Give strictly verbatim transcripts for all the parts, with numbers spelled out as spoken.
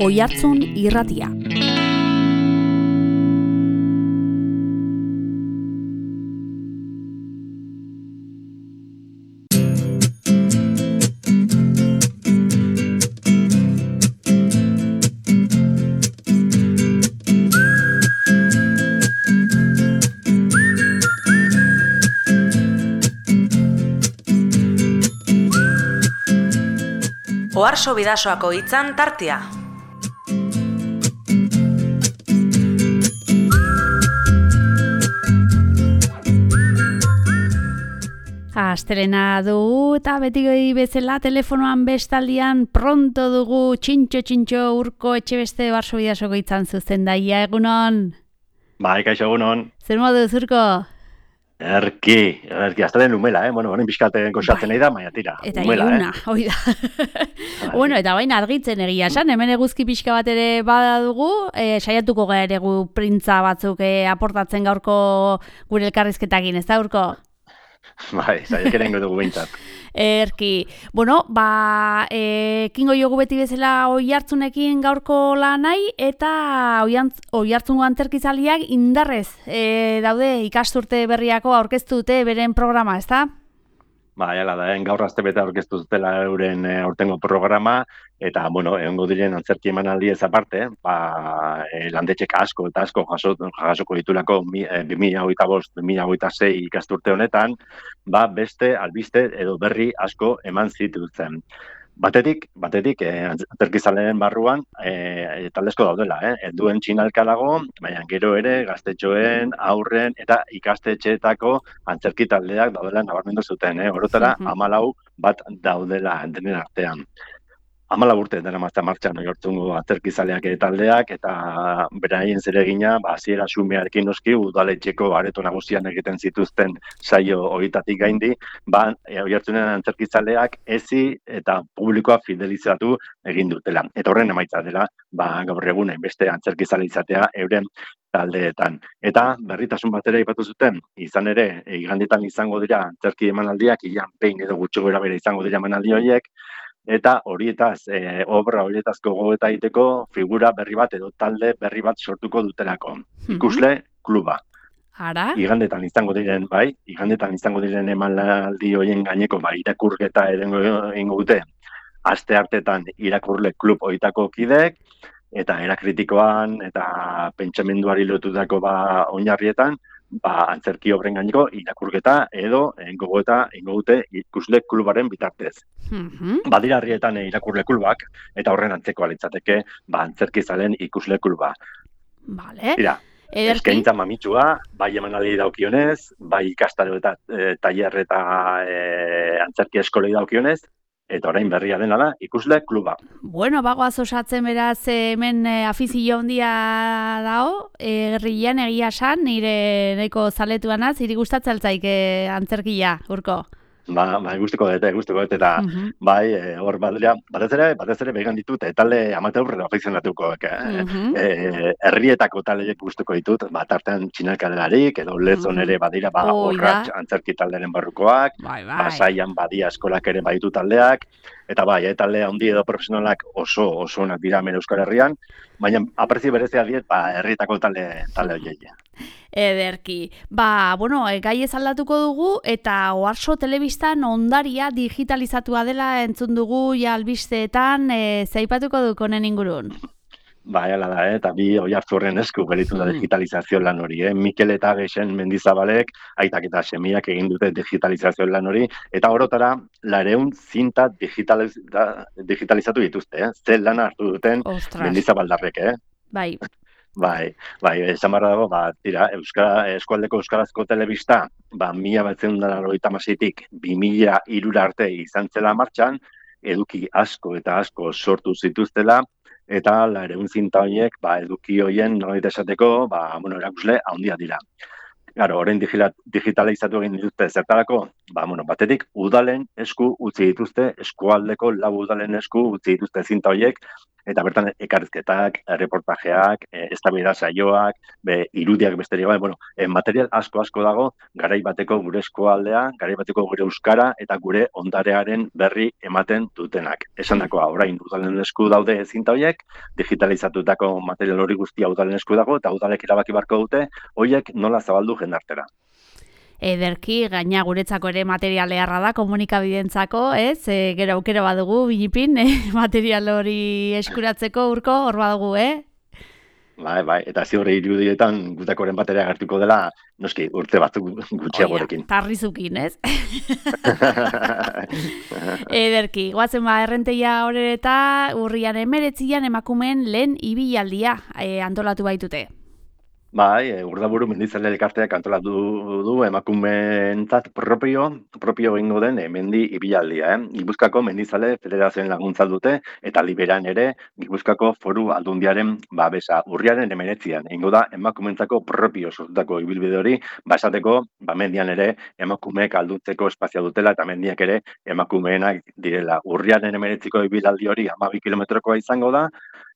Oihartzun irratia. Oharso Bidasoako hitzan tartea. Astelena dugu eta beti gehi bezala telefonoan bestaldian pronto dugu txintxo-txintxo Urko Etxebeste Oharso Bidasoko hitzan zuzendaia, egunon? Bai, kaixo egunon. Zer modu, Urko? Erki, erki, astelen umela, eh? Bueno, honen bizkaten goxatzen nahi da, baina tira, eta umela, iluna, eh? hoi da. Bueno, eta baina argitzen egia esan, hemen eguzki pixka bat ere badugu, e, saiatuko gara ere gu printza batzuk e, aportatzen gaurko gure elkarrizketakin, ez da, Urko? Bai, saiakera ingo dugu behintzat. Erki, bueno, ba, e, kingo jogu beti bezala Oihartzunekin gaurko lanai, eta Oihartzungo antzerkizaliak indarrez e, daude ikasturte berriako aurkeztu dute beren programa, ezta? Ba, jala da, gaur astebete aurkeztu zutela euren e, aurtengo programa, eta, bueno, egongo diren antzerki emanaldiez aparte, ba, e, landetxek asko eta asko jaso, jasoko ditulako e, bi mila hogeita bost, bi mila hogeita sei ikasturte honetan, ba, beste albiste edo berri asko eman zituzten. Batetik, batetik, eh, antzerkizaleen barruan eh, taldezko daudela, eh? Helduen txinalka dago, baina gero ere gaztetxoen, aurren eta ikastetxeetako antzerki taldeak daudela nabarmendu zuten, eh? Orotara hamalau bat daudela denen artean. Hamalau urte dara mazta martxan Oihartzungo antzerkizaleak taldeak, eta beraien zeregina, ba, hasiera xumearekin noski, udaletxeko areto nagusian egiten zituzten saio horietatik gaindi, ba, Oihartzunen antzerkizaleak hezi eta publikoa fidelizatu egin dutela. Eta horren emaitza dela, ba, gaur egun beste antzerkizale izatea euren taldeetan. Eta berritasun batera aipatu zuten, izan ere, igandetan izango dira antzerki emanaldiak, ilan behin edo gutxo gora bere izango dira emanaldi horiek, eta horietaz, e, obra horietaz gogoeta egiteko figura berri bat edo talde berri bat sortuko dutelako. Ikusle kluba. Ara? Igandetan izango diren, bai, igandetan izango diren emanaldi horien gaineko, bai, irakurketa erengo egingo dute, aste hartetan irakurle klub horietako kideek, eta erakritikoan eta pentsamenduari lotutako ba oinarrietan, ba, antzerki obren gaineko irakurketa edo gogoeta ingo dute ikusle klubaren bitartez. Mm-hmm. Badira harrietan irakurle klubak, eta horren antzekoa litzateke, ba, antzerkizalen ikusle kluba. Vale. Dira, eskaintza mamitsua, bai emanaldi daukionez, bai ikastaro eta e, tailer eta e, antzerki eskolei daukionez, eta orain berria dena da, ikusle kluba. Bueno, bagoaz osatzen beraz hemen e, afizio handia dao, e, gerrilean egia esan, nire nahiko zaletuanaz, hiri gustatzen zaik e, antzerkia, Urko? Ba, ba, guztiko dut, guztiko dut, eta uh-huh. bai, e, hor badira, batez ere, batez ere began ditut, talde amateur edo afizionatuko, eh? uh-huh. e, herrietako taldeek guztuko ditut, bat artean txinalkadelarik, edo lezon ere badira, ba, oh, horratx antzerki talderen barrukoak, bai, bai. Pasaian badia eskolak ere baditu taldeak, eta bai, e, talde handi edo profesionalak oso, oso onak dira hemen Euskal Herrian, baina aprezio berezia diet, ba, herrietako talde, talde horiek. Ederki. Ba, bueno, gai ez aldatuko dugu, eta Oharso telebistan ondaria digitalizatua dela entzun dugu ja albisteetan, e, zaipatuko duk honen ingurun? Ba, hala da, eh? Eta bi Oihartzurren esku beritu da digitalizazio lan hori. Eh? Mikel eta Gexen Mendizabalek, aitak eta semiak egin dute digitalizazio lan hori, eta orotara, lareun zinta digitaliz, digitalizatu dituzte. Eh? Zer lana hartu duten Ostras. Mendizabaldarrek, eh? Bai. Bai, bai, esan barra dago, ba, tira, Euskara, eskualdeko euskarazko telebista, ba, mila batzen da laurogeita hamaseitik bi mila hirura arte izan zela martxan, eduki asko eta asko sortu zituztela, eta lareun zinta horiek, ba, eduki horien, nolait esateko, ba, bueno, erakusle handia dira. Claro, orain digitalizatu egin dituzte zertarako, ba, bueno, batetik udalen esku utzi dituzte, eskualdeko lau udalen esku utzi dituzte zinta horiek, eta bertan ekarrizketak, reportajeak, e, eztabaida saioak, be, irudiak besterik gabe, bueno, e, material asko asko dago garai bateko gure eskualdea, garai bateko gure euskara eta gure ondarearen berri ematen dutenak. Esandakoa, orain udalen esku daude zinta horiek, digitalizatutako material hori guztia udalen esku dago eta udalek erabaki barko dute horiek nola zabaldu jendartera. Ederki, gaina guretzako ere material beharra da komunikabidentzako, ez? E, gero aukera badugu, bilipin, eh? material hori eskuratzeko urko, hor badugu, eh? Bai, bai, eta ziurre irudietan gutakoren batera agertuko dela, noski, urte batzuk gutxiagorekin. Tarrizukin, ez? Ederki, guazen ba, errenteia horreta urrian emeretzian emakumeen lehen ibilaldia e, antolatu baitute. Bai, e, Urdaburu mendizale elkarteak antolatu du emakumeentzat propio, propio egingo den e, mendi ibilaldia. Eh? Gipuzkoako mendizale federazioen laguntza dute eta liberan ere Gipuzkoako foru aldundiaren babesa. Urriaren emeretzian egingo da emakumeentzako propio sortutako ibilbide hori, basateko ba, mendian ere emakumeek alduntzeko espazioa dutela eta mendiak ere emakumeenak direla. Urriaren emeretziko ibilaldi hori hamabi kilometrokoa izango da,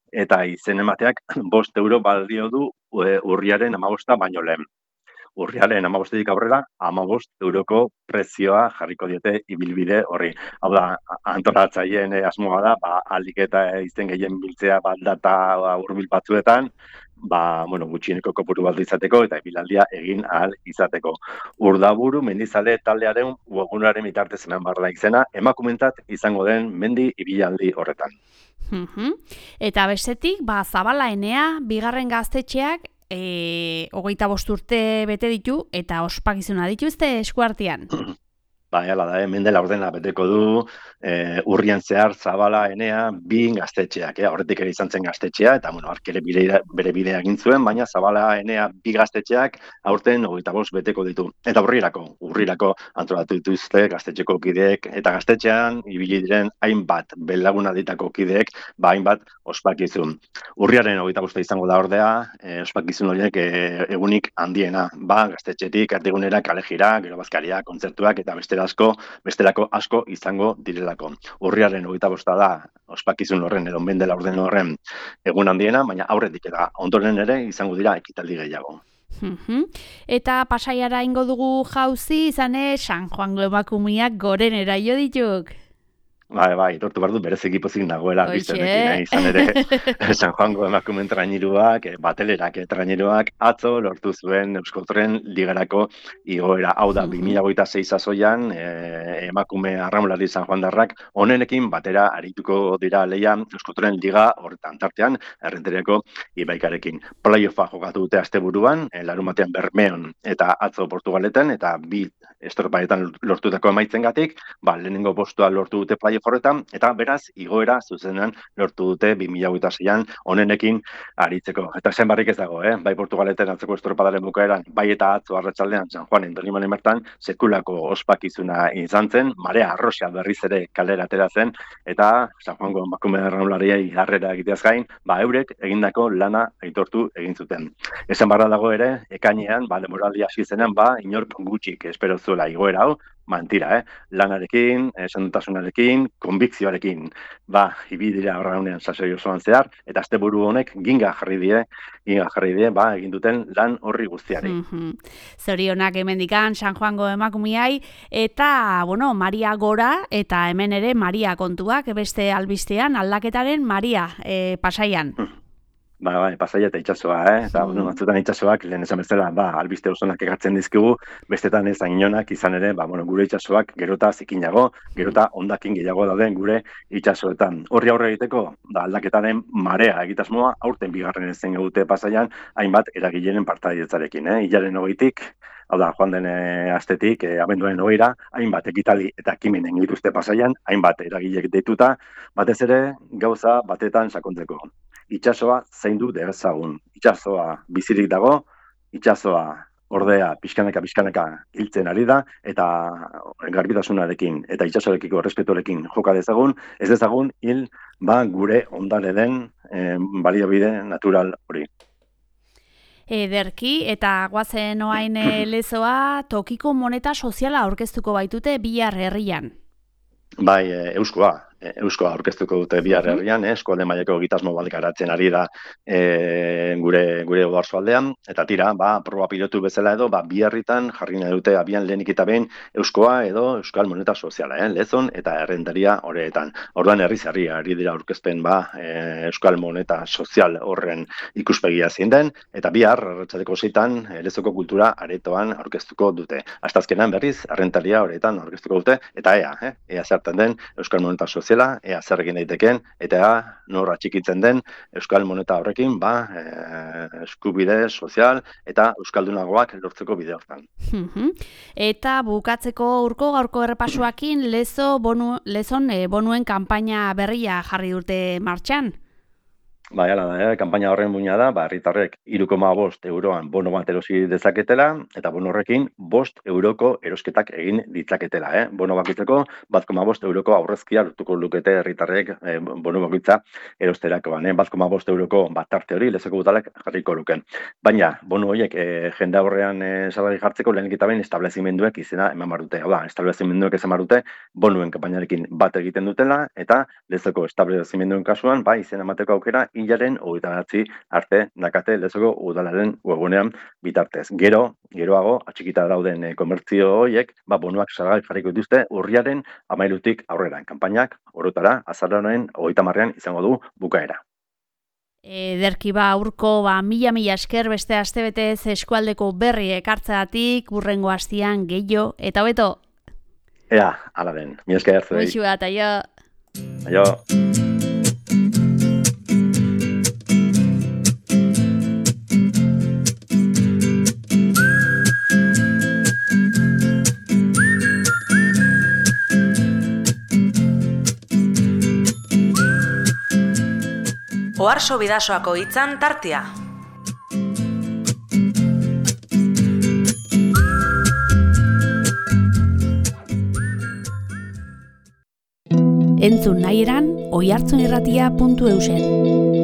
eta izen emateak bost euro baldio du e, urriaren hamabosta baino lehen. Urriaren hamabostetik aurrera, hamabost euroko prezioa jarriko diote ibilbide horri. Hau da, antolatzaileen asmoa da, ba, alik eta izen gehien biltzea baldata hurbil batzuetan, ba, bueno, gutxieneko kopuru bat izateko eta ibilaldia egin ahal izateko. Urdaburu mendizale taldearen webgunaren bitartez eman barra izena, emakumentzat izango den mendi ibilaldi horretan. Uhum. Eta bestetik, ba, Zabala Enea, bigarren gaztetxeak, e, hogeita bost urte bete ditu eta ospakizuna dituzte eskuartean. Ba, hala da, eh? Mende laurdena beteko du, e, urrian zehar Zabala Enea bi gaztetxeak, eh? Horretik ere izan zen gaztetxea, eta bueno, ark ere bere, bere bidea egin zuen, baina Zabala Enea bi gaztetxeak aurten hogeita bost beteko ditu. Eta urrirako, urrirako antolatu dituzte gaztetxeko kideek, eta gaztetxean ibili diren hainbat belaguna ditako kideek, ba hainbat ospakizun. Urriaren hogeita bosta izango da ordea, e, ospakizun horiek e, egunik handiena, ba gaztetxetik, erdigunera, kalejira, gero bazkaria, kontzertuak, eta beste asko, bestelako asko izango direlako. Urriaren hogeita bosta da ospakizun horren edo mende laurden horren egun handiena, baina aurretik eta ondoren ere izango dira ekitaldi gehiago. Eta Pasaiara ingo dugu jauzi izane San Juango emakumeak gorenera jo dituk. Bai, bai, tortu behar du bereziki pozik nagoela biztenekin, eh? Izan ere San Juango emakumeen traineruak, batelerak traineruak atzo lortu zuen Euskotren ligarako igoera. Hau da, bi mila hogeita sei sasoian eh, emakume arraunlari San Juandarrak onenekin batera arituko dira leia Euskotren liga horretan tartean errenteriako ibaikarekin. Playoffa jokatu dute asteburuan, eh, larumatean Bermeon eta atzo Portugaleten, eta bi estropaetan lortutako emaitzengatik, ba, lehenengo postua lortu dute playoff horretan, eta beraz, igoera zuzenean lortu dute bi mila hogeita seian onenekin aritzeko. Eta zen barrik ez dago, eh? Bai Portugaleten atzeko estropadaren bukaeran, bai eta atzo arratsaldean San Juanen Donimanen bertan, sekulako ospakizuna izan zen, marea arroxa berriz ere kalera atera zen, eta San Juango emakume arraunlariei harrera egiteaz gain, ba, eurek egindako lana aitortu egin zuten. Esan barra dago ere, ekainean, ba, demoraldi hasi zenean, ba, inork gutxik espero zuela igoera hau, mantira, eh? Lanarekin, esendutasunarekin, konbikzioarekin, ba, ibidira horraunean sasoi osoan zehar, eta asteburu honek ginga jarri die, ginga jarri die, ba, egin duten lan horri guztiari. Mm-hmm. Zorionak hemendikan San Juango emakumeai, eta, bueno, Maria Gora, eta hemen ere Maria kontuak, beste albistean, aldaketaren Maria e, Pasaian. Mm. Ba, ba, Pasaia eta itsasoa, eh? Eta, bueno, batzutan itsasoak, lehen esan bezala, ba, albiste osonak egartzen dizkigu, bestetan ez inonak izan ere, ba, bueno, gure itsasoak gerota zikinago, gerota hondakin gehiago dauden gure itsasoetan. Horri aurre egiteko, da, aldaketaren marea egitasmoa, aurten bigarren ezen egute Pasaian, hainbat eragileren partaidetzarekin, eh? Hilaren hogeitik, hau da, joan den e, astetik, e, abenduaren hogeira, hainbat ekitali eta ekimen egin dituzte Pasaian, hainbat eragilek deituta, batez ere gauza batetan sakontzeko. Itsasoa zaindu dezagun. Itsasoa bizirik dago, itsasoa ordea pixkanaka pixkanaka hiltzen ari da, eta garbitasunarekin eta itsasoarekiko errespetuarekin joka dezagun, ez dezagun hil ba, gure ondare den e, baliabide natural hori. Ederki, eta guazen oain lezoa tokiko moneta soziala aurkeztuko baitute bihar herrian. Bai, euskoa, euskoa aurkeztuko dute bihar herrian, eh? Eskualde mailako egitasmo bat garatzen ari da e, gure gure oarsoaldean, eta tira, ba, proba pilotu bezala edo, ba, bi herritan jarri nahi dute abian lehenik eta behin euskoa edo euskal moneta soziala, eh? Lezon eta errendaria horretan. Orduan herriz herri ari dira aurkezpen ba, e, euskal moneta sozial horren ikuspegia zein den, eta bihar arratsaldeko seitan Lezoko kultura aretoan aurkeztuko dute. Astazkenan berriz errentaria horretan aurkeztuko dute, eta ea, eh? ea zertan den euskal moneta soziala, ea zer egin daiteken, eta ea nor atxikitzen den euskal moneta horrekin, ba, e, eskubide sozial eta euskaldunagoak lortzeko bide hortan. Eta bukatzeko urko gaurko errepasuakin lezo bonu, lezon e, bonuen kanpaina berria jarri dute martxan. Ba, jala da, eh? Kanpaina horren muina da, ba, herritarrek hiru koma bost euroan bono bat erosi dezaketela, eta bono horrekin bost euroko erosketak egin ditzaketela. Eh? Bono bakitzeko, bat koma bost euroko aurrezkia lortuko lukete herritarrek eh, bono bakitza erosterakoan. Eh? Bat koma bost euroko bat tarte hori Lezoko udalak jarriko luken. Baina, bono horiek eh, jende aurrean eh, salgai jartzeko lehenik eta behin establezimenduek izena eman barute. Hau da, establezimenduek esan barute bonuen kanpainarekin bat egiten dutela, eta Lezoko establezimenduen kasuan, ba, izena emateko aukera hilaren hogeita bederatzi arte dakate Lezoko udalaren webgunean bitartez. Gero, geroago, atxikita dauden e, komertzio horiek, ba, bonuak salgai jarriko dituzte urriaren hamairutik aurrera. Kanpainak orotara azaroaren hogeita hamarrean izango du bukaera. Ederki ba, urko, ba, mila-mila esker beste astebetez eskualdeko berri ekartzeatik, burrengo hastian gehiago, eta hobeto? Ea, ala den, mi esker zuei. Muixu bat, aio. Aio. Oarso Bidasoako hitzan tartea. Entzun nahi eran oihartzunirratia puntu eusen.